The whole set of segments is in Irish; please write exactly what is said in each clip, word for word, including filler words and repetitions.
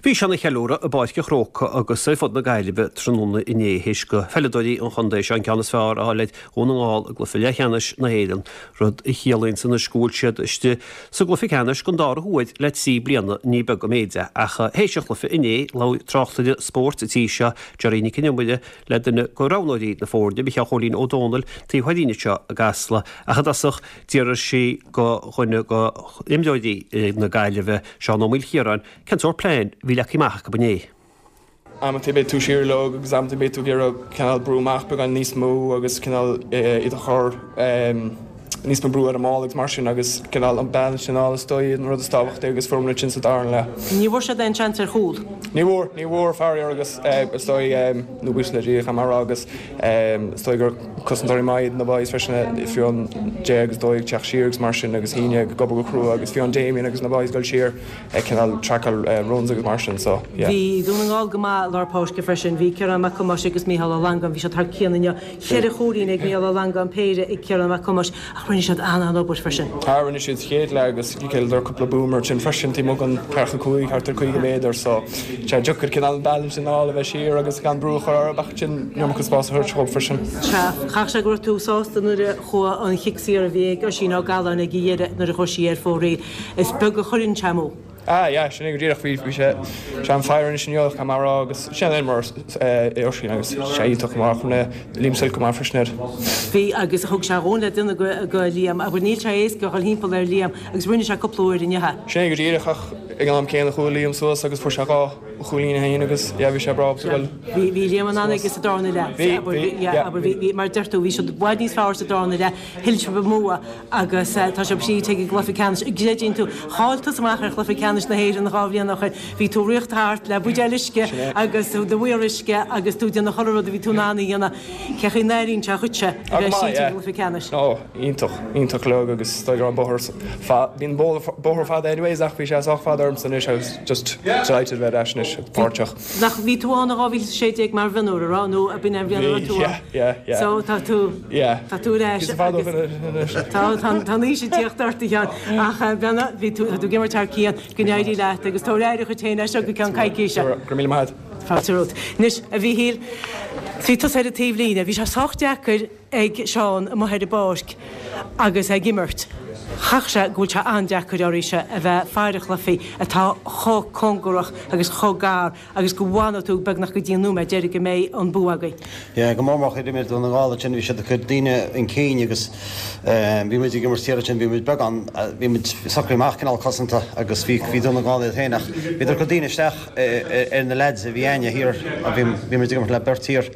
Bhí seana-cheiliúradh i bPáirc an Chrócaigh agus ar fud na Gaillimhe tráthnóna inné théis do pheileadóirí an chontae seo an ceann is fearr a fháil ar Dhún na nGall i gcluiche leathcheannais na hÉireann, rud a chiallaíonn anois go bhfuil siad istigh sa gcluiche ceannais don dara huair le trí bliana ní beag an méid é. Ach théis an chluiche inné labhair tráchtaire spóirt an tí seo Gerry Nic an Iomaire le duine de roghnóirí na foirne Micheál Chóilín Ó Dónaill taobh thoir anseo i gCasla ach i dtosach d'iarr sí de dhuine d'imreoirí na Gaillimhe Seán Ó Maoilchiaráin cén sórt plean a bhí leagtha amach acu inné. Amanta beidh tú siar leo agus amanta beidh tú ag iarraidh cineál brú amach beagán níos mó agus cineál iad a chur níos mó brú ar an mball agus mar sin agus cineál an balance sin is dóigh an rud is tábhachtaí agus fuair muid sin sa dara leath. Ní bhfuair siad aon seans ar chúl. Ní bhfuair ní bhfuair faraor agus is dóigh nó buíochas le Dia mar agus is dóigh gur cosantóirí maith na boys freisin fiú an Jay agus dóigh teacht siar agus mar sin agus híine go go crua agus fiú an Damien agus na boys dul siar ag cineál trackáil runs agus mar sin so yeah. Bhí Dún na nGall go maith lár páirce freisin, bhí Ciarán Mac Thomáis agus Mícheál Ó Langan, bhí siad thar cionn inniu. Ceithre chúilín ag Mícheál Ó Langan péire ag Ciarán Mac Thomáis ach rinne siad an-obair freisin. Tá rinne siad chéad leath agus céidir cúpla boomer sin freisin tí an ceathracha cúig thart ar caoga méadar so sé deacair cineál an balance sin a bheith siar agus gan brú chur ach sin iomarca spás a chur freisin. Chaithfeadh sé go raibh tú sásta nuair a chuaigh an chic saor a bhí ag Oisín Ó Galláin ag dheireadh nuair a chuaigh sí ar fóraoil. Is beag a chuireann sé amú. Ah yeah, sin é go díreach bhí bhí sé sé an fire sin go mar agus sin mar é Oisín agus sé iontach mar chun Liam Silke mar freisin air. Bhí agus thug sé dhún le duine go go Liam a níl sé éasca dhul timpeall ar Liam agus rinne sé cúpla uair inniu. Sin é go díreach ach ag an am céanna chuaigh Liam suas agus fuair sé dhá chúilín féin agus yeah, bhí sé breá go Bhí bhí Liam an an agus sa darna leath Bhí mar deir tú bhí siad i bhfad níos fearr sa darna leath thuill sibh an bua agus tá sibh istigh i gcluiche ceannais. Greideann tú chaill tú amach ar chluiche ceannais na hÉireann dhá bhliain ó shin. Bhí tú rith thart le buidéal uisce agus do mhéar uisce agus tú déanamh chuile rud a bhí tú in ann a dhéanamh. Cén chaoi a n-airíonn sé dhuitse a bheith istigh i gcluiche ceannais. Ó iontach iontach le agus dá an bóthar bíonn bóthar fada anyways ach bhí sé sách fada ormsa anois agus just delighted bheith ar ais anois páirteach. Nach bhí tú ann dhá mhíle sé déag mar mhionúr rá nó a b'in an bhliain tú So tá tú tá tú ar ais Tá tá ní sé tíocht orthu ach bena bhí tú tú ag imirt thar cionn go n-éirí leat agus tá réir chu téine seo go ceann coicíse. Go míle maith. Fáilte romhat. Anois a Mhíchíl bhí tú ar an taobhlíne, bhí sé sách deacair ag Seán amuigh ar an bpáirc agus ag imirt. Chaithfeadh sé go bhfuil sé an-deacair oraibhse a bheith ag faire cluichí atá chomh cóngarach agus chomh gar agus go bhfanfaidh tú beagnach go dtí an nóiméad deiridh go mbeidh an bua agaibh. Yeah, go mór mór imir Dún na nGall sin bhí siad ag cur daoine chun cinn agus bhí muid ag imirt thiar sin bhí muid beagán bhí muid socraithe amach cineál cosanta agus bhí bhí Dún na nGall iad féin ach bhí cur daoine isteach ar na lads a bhí againne thiar a bhí bhí muid ag imirt le beirt thiar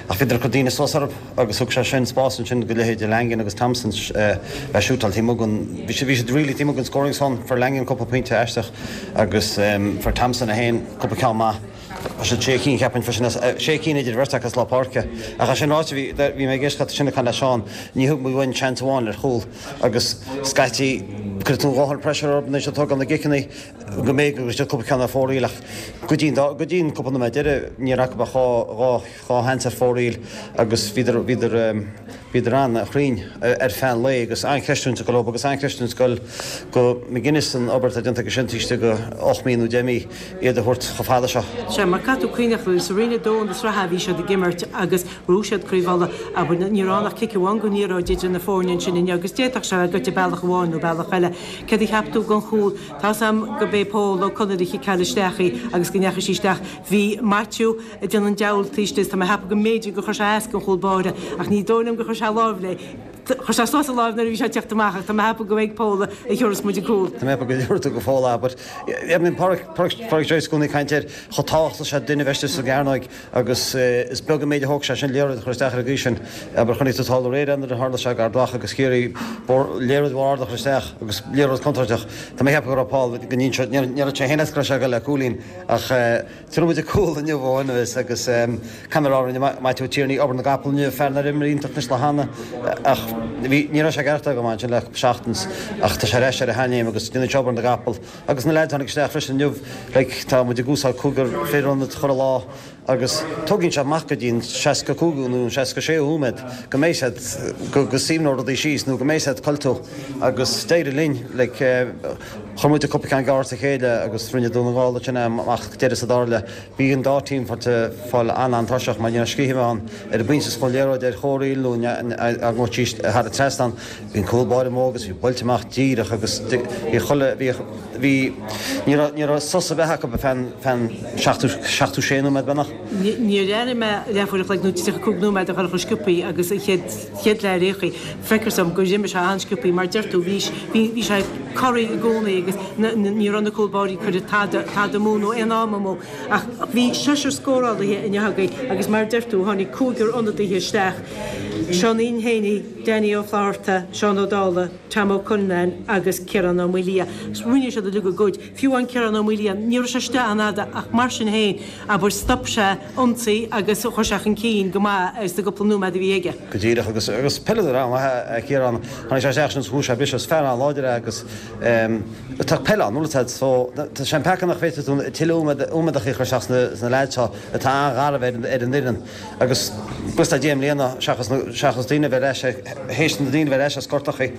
ach bhí cur daoine suas orthu agus thug sé sin spás ansin go leithéide Langan agus Thompson a shútáil taobh amuigh bhí sé bhí siad really taobh amuigh an scoring zone fuair Langan cúpla pointe aisteach agus um, fuair Thompson a haon cúpla ceann maith. sé sé cinn ceapaim sin sé cinn idir bheirt agus lár páirce. Ach sin ráite bhí bhí mé géischa sinna can le Seán ní thug muid aon chance amháin ar chúl agus scaití chuir tú dhóthain pressure orthu se tugan na giceanna go méid go sé cúpla ceann ar fóraoil ach go dtí go dtí cúpla nóiméad deiridh ní raibh ach dhá dhá dhá sheans ar fóraoil agus bhíodar bhíodar bhíodar an-chruinn ar feadh an lae agus an-chreidiúint go agus an-chreidiúint go go McGuinness an obair déanta go sin tíiste go ocht mí nó deich mí iad a thabhairt chomh fada seo. Sé mar caithfidh tú cuimhneamh sa roinn a dó na sraithe bhí siad ag imirt agus bhuaigh siad Craobh Uladh aber ní raibh ach cic amháin go liathróid idir na foirne sin inniu agus d'fhéadfadh sé goite bealach amháin nó bealach eile. Cad a cheap tú den chúl Tá sam go bé Pól Ó Conaire chiceáil isteach í agus go ndeachaigh sí isteach. Bhí Matthew ag déanamh an diabhal taobh tá mé ag ceapadh go mb'fhéidir gur chuir sé as an chúl báire ach ní dóigh liom gur chuir sé lámh léi. Chuir sé suas a lámh nuair a bhí sé teacht amach ach tá mé ag ceapadh go ag Paul a thiúras muid cúl. Tá mé go dúirú go fóla, but I mean Pádraic Joyce gúna caint chomh tábhachtach sé duine bheith sa gcearnóg agus is beag an méid a thóg sé sin liathróid chur isteach ar an gcaoi sin aber chonaic tú thall aréir an tharla sé gar dlach agus Ciarraí liathróid mhór chur isteach agus liathróid contúirteach Tá mé ag ceapadh go raibh Paul go ní sé héana sé go le cúilín ach Tuair muid cúl inniu agus agus camerá Matthew Tierney obair na gcapall inniu fear nár imir iontach níos le hana ach ní raibh sé ceart go sin le seachtain ach tá sé ar ais ar a sheanchéim agus déanann obair na gcapall agus na lads tháinig isteach freisin inniu like, tá muid ag úsáid cúigear fir an chur lá agus tógann sé amach go dtí seasca cúig nó seasca sé nóiméad go mbeidh siad go go suíonn rudaí síos nó go mbeidh siad codlata agus d'éirigh linn like, uh, Chuir muid cúpla ceann gearr as a chéile agus rinne Dún na nGall sin amach deireadh sa dara leath. Bhí an dá team fáil an-an-tuirseach mar ní raibh scíth ann ar an bpointe is chun liathróid ar chomhriail nó thar an trasnán. Bhí an cúl báire amuigh agus bhí buailte amach díreach agus bhí chuile bhí bhí ní raibh ní raibh sos ar bith acu feadh feadh seachtó seachtó sé nóiméad beagnach. Níor airigh mé leathuair a chloig nó tríocha cúig nóiméad a dhul chomh sciobthaí agus an chéad chéad leath ar aon chaoi. Feictear dom gur imigh sé an-sciobthaí mar deir tú bhí bhí sé corraithe i gcónaí agus ní raibh na cúl báirí ag cur tada tada amú nó aon am amú. Ach bhí seisear scórálaithe inniu againn agus mar deir tú tháinig cúigear ionadaithe isteach. Seáinín Heaney, Danny Ó Flatharta, Seán Ó Dálaigh, Tom Ó Cuinneanáin agus Ciarán Ó Maoildhia. Rinne siad uilig a gcuid. Fiú an Ciarán Ó Maoildhia, ní raibh sé istigh an-fhada ach mar sin féin abair stop sé ionsaí agus chuir sé chun cinn go maith ar sa gcúpla nóiméad a bhí aige. Go díreach agus agus peileadóir an-mhaith é Ciarán. Tháinig sé isteach sin chuaigh sé briseadh is fear an-láidir é agus tá peil ann nuair so tá sé an peaca nach bhféadfaidh tú tuilleadh iomadach a chur isteach sna leaids seo atá an-gharbh ar an fhoireann agus buíochas le Dia i mbliana seachas seachas daoine bheith ar ais théis na daoine bheith ar ais as gortachaí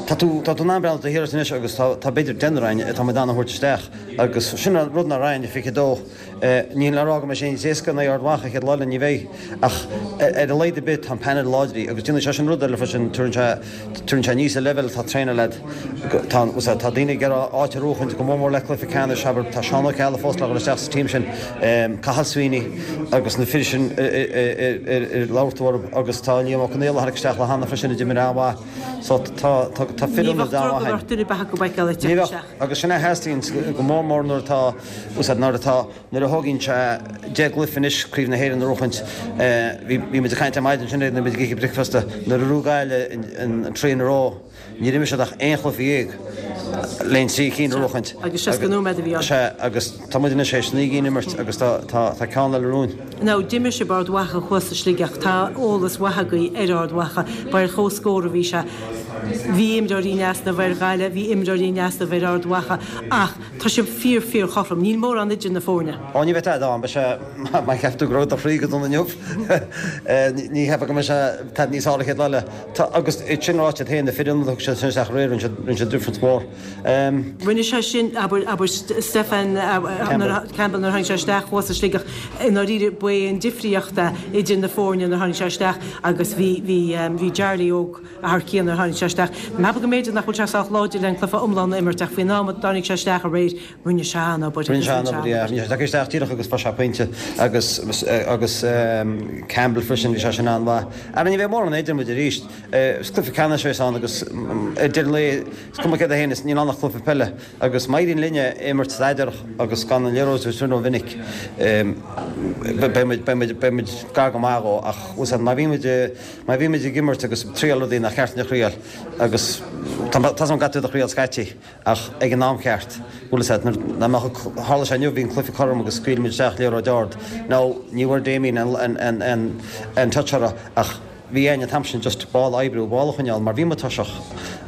tá tú tá tú in ann breathnú taobh thiar anois agus tá tá b'fhéidir deichniúr againn atá muid in ann a thabhairt isteach agus sin an rud nár againn fiche dó Níl le rá go mbeidh sé níos éasca in aghaidh Ard Mhacha an chéad lá eile, ní bheidh, ach ar a laghad ar bith tá an painéal láidir agus déanfaidh sé sin rud eile freisin, tabharann sé, tabharann sé aníos an leibhéal atá traenáil leat. Tá, tá daoine ag iarraidh áit a bhuachaint go mór mór le cluiche ceannais, abair, tá Seán Ó Ceallaigh fós le dhul isteach sa team sin, Cathal Sweeney agus na fir sin ar labhair tú orthu agus tá Liam Ó Conaola a tháinig isteach le hAnna freisin a d'imir an-mhaith. So tá, tá, tá fir Ní ionad bheadh an-mhaith drogall againn. ort duine ar bith acu a fheiceáil ag Ní teacht bheadh, isteach. agus sin a theastaíonn go mór mór nuair atá, úsáid, nuair atá, nuair a thógann sé deich gcluiche anois Craobh na hÉireann a bhuachaint, bhí, bhí muid ag caint ar maidin ansin nuair a bhí muid ag ithe bricfeasta, nuair a bhuaigh Gaillimh an trí in a row, níor imir siad ach aon chluiche dhéag le trí cinn a bhuachaint. Agus seasca nóiméad a bhí ann. Sea, agus tá muid anois théis naoi gcinn a imirt agus tá, tá, tá ceann eile romhainn. Now, d'imir sibh Ard Mhacha thuas i Sligeach, tá eolas mhaith agaibh ar Ard Mhacha, ba ar chomhscór a bhí sé. Bhí imreoirí in easnamh ar Ghaillimh, bhí imreoirí in easnamh ar Ard Mhacha ach tá sibh fíor fíor chothrom, níl mórán idir na foirne. Ó ní bheidh tada ann, beidh sé, má cheap tú go raibh do chroí go dona inniu, ní cheapfá go mbeidh sé tada níos fearr an chéad lá eile. Tá, agus sin ráite féin, na fir ionadaithe a thug siad sin isteach aréir, rinne siad, rinne siad difference mór. Rinne sé sin, abair, abair Stefan Campbell nuair a tháinig sé isteach thuas i Sligeach, i ndáiríre ba é an difríocht é idir na foirne nuair a tháinig sé isteach agus bhí, bhí, bhí Charlie Óg thar cionn nuair a tháinig sé isteach. Meapaim go mb'fhéidir nach bhfuil sé sách láidir le an cluiche iomlán a imirt ach faoin am a dtáinig sé isteach aréir rinne sé an-obair. Rinne sé an-obair, yeah. Rinne sé tagtha isteach díreach agus fuair sé pointe agus agus Campbell freisin bhí sé sin an-mhaith. Ara ní bheidh mórán idir muid arís. Is cluiche ceannais a bheas ann agus ar deireadh an lae is cuma céard é féin is níl ann ach cluiche peile agus má éiríonn linne imirt staidéarach agus gan an liathróid a thabhairt ró-mhinic beidh muid beidh muid beidh muid gar go maith dhó ach má bhíonn muid má bhíonn muid ag imirt agus ag triail rudaí nach ceart dúinn a thriail agus tá tá's agam go gcaithfidh tú iad a thriail scaití ach ag an am ceart bhfuil fhios agat nuair nach mbeadh tharla sé inniu bhí an cluiche cothrom agus scaoil muid isteach liathróid ard now ní bhfuair Damien an an an an touch orthu ach bhí againn an t-am sin just ball a oibriú ball a choinneáil mar bhí muid tuirseach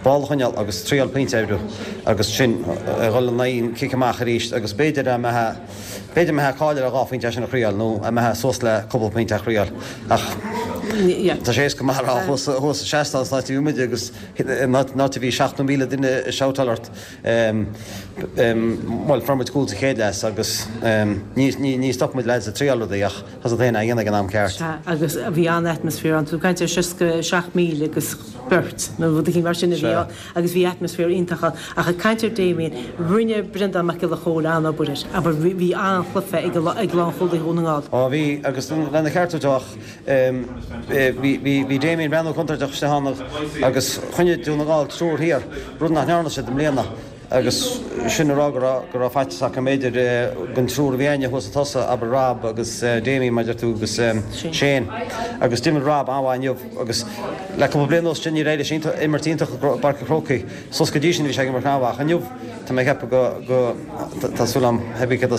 ball a choinneáil agus triail pointe a oibriú agus sin a dhul in aghaidh an cic amach arís agus b'fhéidir a mbeadh b'fhéidir mbeadh cáil ar dhá phointe sin a thriail nó a mbeadh suas le cúpla pointe a thriail ach tá sé éasca mar a thuas thuas sa seastán san áit a bhí muid agus in áit a bhí seachtó míle duine ag shoutáil ort bhuel fuair muid cúl sa chéad leath agus ní ní ní stop muid lads ag triail rudaí ach tá siad féin á dhéanamh ag an am ceart. Sea, agus bhí an-atmaisféar ann. Tú ag caint ar seasca seacht míle agus beirt nó rud éigin mar sin a bhí ann agus bhí atmaisféar iontach ann. Ach ag caint ar Damien, rinne Breandán Mac Giolla Chóill an-obair air. Abair, bhí an-chluiche ag ag lánchúlaithe Dhún na nGall. Á bhí, agus lena cheart a ach bhí bhí bhí Damien breathnú contúirteach istigh ann agus choinnigh Dún na nGall triúr thiar, rud nach ndearna siad i mbliana. Agus sin a rá go raibh go raibh faitíos acu b'fhéidir den triúr a bhí againne thuas ag tosach, abair Rob agus Damien mar a deir tú agus Shane. Agus d'imir Rob an-mhaith inniu agus le cúpla bliain anuas sin níor éirigh leis imirt iontach i bPáirc an Chrócaigh. Suas go dtí sin bhí sé ag imirt an-mhaith ach inniu tá mé ag ceapadh go go tá súil agam hebí cad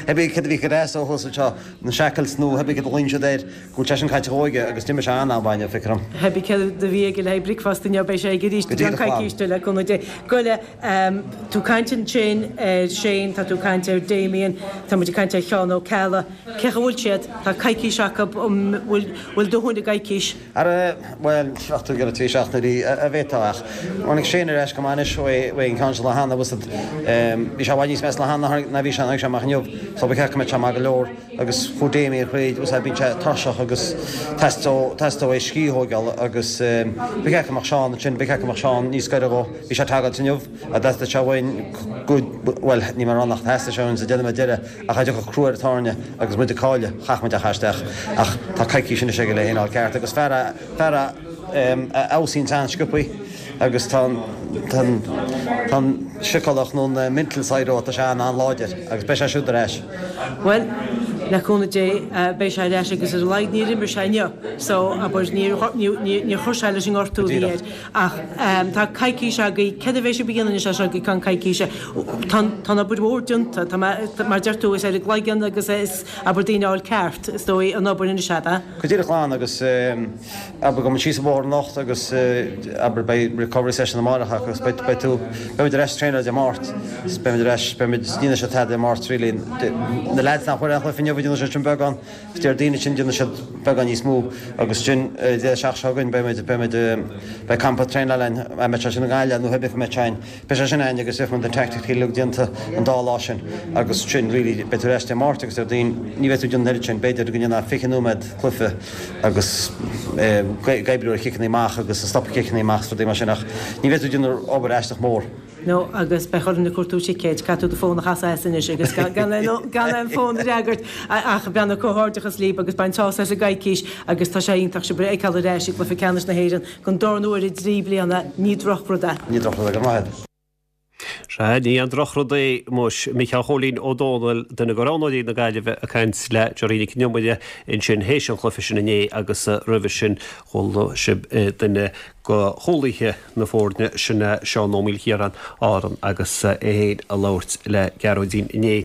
hebí cad a bhí go ó thuas anseo na shackles nó hebí cad a lean siad air go bhfuil sé sin caite aige agus d'imir sé an-mhaith inniu feictear dom. Hebí cad a bhí aige le bricfeasta inniu beidh sé aige arís i gceann coicíse le cúnamh Dé. Goile tú caint ansin ar Shane, tá tú caint ar Damien, tá muid ag caint ar Sheán Ó Ceallaigh. Cé chaoi bhfuil siad? Tá coicís acu um bhfuil dóthain i gcoicís? Ara, bhuel, seachtú go trí seachtainí a bhéta ach. Tháinig Shane ar ais go maith anois ó an ceann seo lá cheana agus bhí sé i bhfad níos measa lá cheana ná bhí sé tháinig sé amach inniu so ba cheart go mbeadh sé maith go leor agus chuaigh Damien thríd agus bíonn sé tuirseach agus teastóidh uaidh scíth a thógáil agus ba cheart go mbeadh Seán ansin, ba cheart go mbeadh Seán níos gaire dhó, bhí sé ag tagairt inniu a theastaigh sé uainn go, bhuel ní mar nach theastaigh sé uainn sa deireadh deireadh ach a dtiocfadh crú ar an tairne agus muid ag cailleadh, chaith muid é a chur isteach ach tá coicís anois aige le hé a fháil ceart agus fear a, fear a a fheabhsaíonn an-sciobthaí agus tá an, tá an, tá an síceolaíocht nó an mental side dhó, tá sé an-láidir agus beidh sé siúd ar ais. Bhuel, le cúnamh Dé, beidh sé ar ais agus ar a laghad níor imir sé inniu so, abair, níor, níor, níor chuir sé leis an ngortú a bhí air. Ach tá coicís agaibh, céard a bheidh sibh a dhéanamh anois as seo go ceann coicíse? Tá, tá an obair mhór déanta, tá mé, mar deir tú, is ar an gcloigeann agus is, abair, daoine a fháil ceart, is dóigh, an obair anois, ab ea? Go díreach glan agus abair gabhfaidh muid síos an bóthar anocht agus abair beidh recovery session amárach agus beidh, beidh tú, beidh muid ar ais traenáil Dé Máirt is beidh muid ar ais, beidh muid, ní dhéanfaidh siad tada Dé Máirt really. Na lads nach bhfuair aon chluiche inniu déanfaidh siad sin beagán, is Déardaoin ansin déanfaidh siad beagán níos mó agus sin Dé seach seo chugainn beidh muid, beidh muid, beidh campa traenála againn, an mbeidh sé sin i nGaillimh nó cibé cá mbeidh sé againn, beidh sé sin againn agus beidh muid an tactic uilig déanta an dá lá sin agus sin really beidh tú ar ais Dé Máirt agus Déardaoin ní bheidh tú ag déanamh an oiread sin, b'fhéidir go ndéanfá fiche nóiméad cluiche agus ag oibriú ar chiceanna amach agus ag stopadh ciceanna amach is rudaí mar sin ach ní bheidh tú ag déanamh obair aisteach mór. No agus beidh orainn ag cuartú ticéid, caithfidh tú do fón a chasadh as anois agus gan gan aon fón a fhreagairt ach beannacht comhghairdeachas libh agus bain sásamh as an gcoicís agus tá sé iontach sibh a fheiceáil ar ais i gcluiche ceannais na hÉireann don darna huair i dtrí bliana, ní drochrud é. Ní drochrud é, go raibh maith agat. Sea, ní aon drochrud é, muis. Micheál Chóilín Ó Dónaill, duine de roghnóirí na Gaillimhe ag caint le Gerry Nic an Iomaire ansin théis an chluiche sin inné agus roimhe sin chuala sibh duine de chúlaithe na foirne, sin é Seán Ó Maoilchiaráin, Árann, agus é féin ag labhairt le Gearóidín inné.